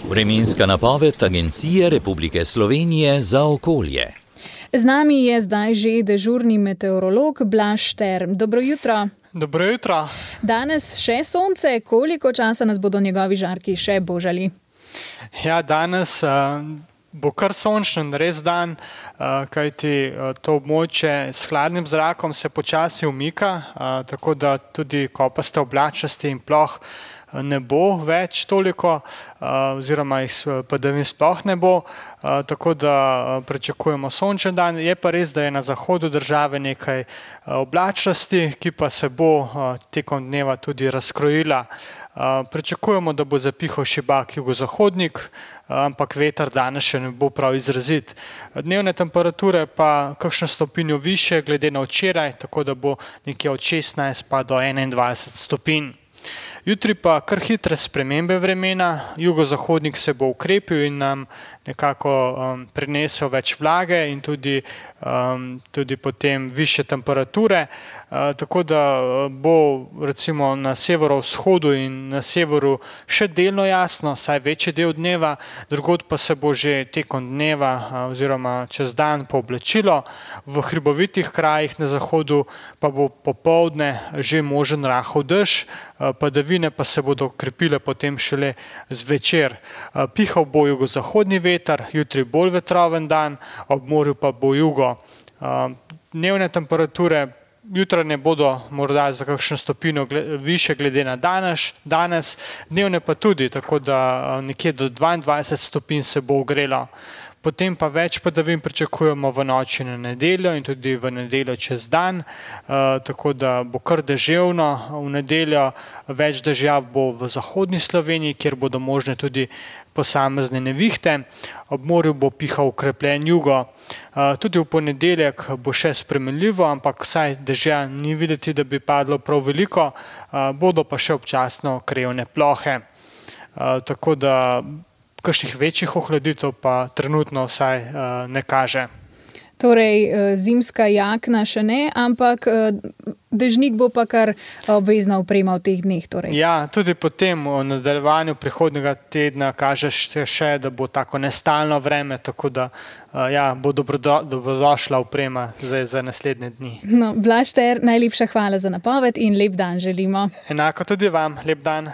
Vremenska napoved Agencije Republike Slovenije za okolje. Z nami je zdaj že dežurni meteorolog Blaž Šter. Dobro jutro. Dobro jutro. Danes še sonce, koliko časa nas bodo njegovi žarki še božali? Ja, danes bo kar sončen, res dan, kajti to območje s hladnim zrakom se počasi umika, tako da tudi kopaste oblačnosti in ploh ne bo več toliko, oziroma padavin sploh ne bo, tako da pričakujemo sončen dan. Je pa res, da je na zahodu države nekaj oblačnosti, ki pa se bo tekom dneva tudi razkrojila. Pričakujemo, da bo zapihal šibak jugozahodnik, ampak veter danes še ne bo prav izrazit. Dnevne temperature pa kakšno stopinjo više glede na včeraj, tako da bo nekje od 16 pa do 21 stopinj. Jutri pa kar hitre spremembe vremena, jugozahodnik se bo ukrepil in nam nekako prinesel več vlage in tudi potem višje temperature, tako da bo recimo na severovzhodu in na severu še delno jasno, saj večji del dneva, drugod pa se bo že tekom dneva oziroma čez dan pooblačilo, v hribovitih krajih na zahodu pa bo popoldne že možen rahel dež, padavine pa se bodo krepile potem šele zvečer. Pihal bo jugozahodni veter, jutri bolj vetroven dan, ob morju pa bo jugo. Dnevne temperature jutranje bodo morda za kakšno stopinjo više glede na danes, dnevne pa tudi, tako da nekje do 22 stopinj se bo ogrelo. Potem pa več padavin pričakujemo v noči na nedeljo in tudi v nedeljo čez dan, tako da bo kar deževno v nedeljo, več dežja bo v zahodni Sloveniji, kjer bodo možne tudi posamezne nevihte, ob morju bo pihal okrepljen jugo. Tudi v ponedeljek bo še spremenljivo, ampak vsaj dežja ni videti, da bi padlo prav veliko, bodo pa še občasno krajevne plohe. Tako da kakšnih večjih ohladitev pa trenutno vsaj ne kaže. Torej, zimska jakna še ne, ampak dežnik bo pa kar obvezna oprema v teh dneh. Torej. Ja, tudi potem v nadaljevanju prihodnjega tedna kaže še, da bo tako nestalno vreme, tako da bo dobrodošla oprema za naslednje dni. No, Blaž Šter, najlepša hvala za napoved in lep dan želimo. Enako tudi vam, lep dan.